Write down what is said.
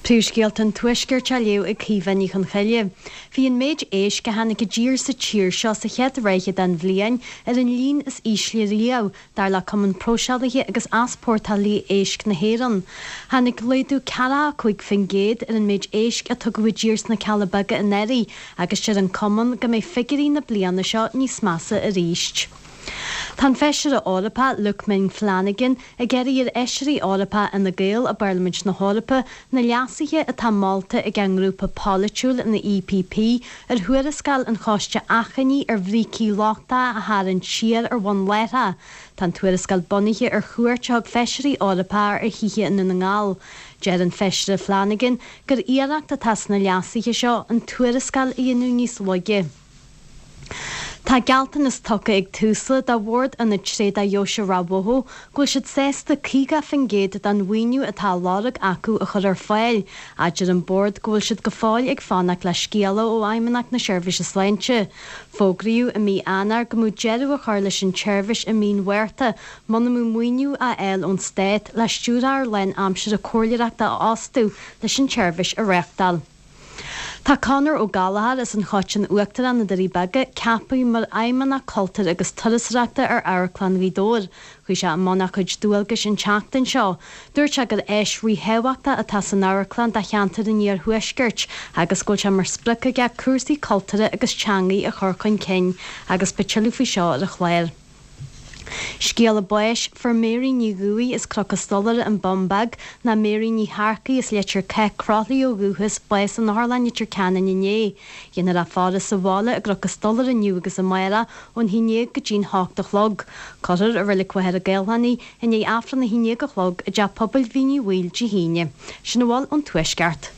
Príomhscéalta an Tuaiscirt á léamh ag Caoimhe Ní Chonchoille. Bhí an méid éisc a tháinig i dtír sa tír seo sa chéad ráithe den bhliain ar an líon is ísle riamh, dar le Cumann Próiseálaithe agus Easpórtálaithe Éisc na hÉireann. Tháinig laghdú 45% ar an méid éisc a tugadh i dtír sna Cealla Beaga anuraidh agus deir an Cumann go mbeidh figiúirí na bliana seo níos measa arís. Tá an Feisire Eorpach, Luke Ming Flanagan, ag iarraidh ar Fheisirí Eorpacha Fhine Gael i bParlaimint na hEorpa na leasuithe atá molta ag a ngrúpa polaitiúil, an EPP, ar thuarascáil an Choiste Achainí ar bhrící lochtacha a tharraingt siar ar bhonn láithreach. Tá an tuarascáil bunaithe ar chuairt a thug Feisirí Eorpacha ar thithe i nDún na nGall. Deir an Feisire Flanagan gur iarracht atá sna leasuithe seo an tuarascáil a dhéanamh níos laige. Tá gealltanas tugtha ag Tusla do Bhord Ionad Tréada Dheoise Ráth Bhoth go bhfuil siad sásta 50% den mhaoiniú atá á lorg acu a chur ar fáil. Deir an Bord go bhfuil siad go fóill ag fanacht le scéala ó Fheidhmeannacht na Seirbhíse Sláinte. Fógraíodh i mí Eanáir go mbeadh deireadh á chur leis an tseirbhís i mí an Mhárta muna mbeadh maoiniú á fháil ón Stát le stiúrthóir lán-aimsire comhairleoireachta a fhostú leis an tseirbhís a reáchtáil. Tá Conor Ó Gallchóir as an Choiteann Uachtarach, na Doirí Beaga, ceaptha mar Fheidhmeannach Cultúir agus Turasóireachta ar Amharclann Ghaoth Dobhair. Chuaigh sé i mbun a chuid dualgais an tseachtain seo. Dúirt sé gur áis ríthábhachtach atá san amharclann do cheantar an iarthuaiscirt agus go bhfuil sé mar sprioc aige cúrsaí cultúrtha agus teangaí a chur chun cinn agus beidh tuilleadh faoi seo ar an chlár. Scéala báis, Fuair Mary Ní Dhubhaigh as Cnoc an Stolaire, An Bun Beag, ná Mary Ní Shearcaigh as Leitir Cáith, Croithlí ó dhúchas, bás in Otharlann Leitir Ceanainn inné. Dhéanfar í a fhaire sa bhaile i gCnoc an Stolaire inniu agus amárach ón 11 go dtí'n 8 a chlog. Cuirfear i Reilig Mhachaire Gathlán í i ndiaidh Aifreann a 11 a chlog i dTeach Pobail Mhín Uí Bhaoill Dé hAoine. Sin a bhfuil ón Tuaisceart.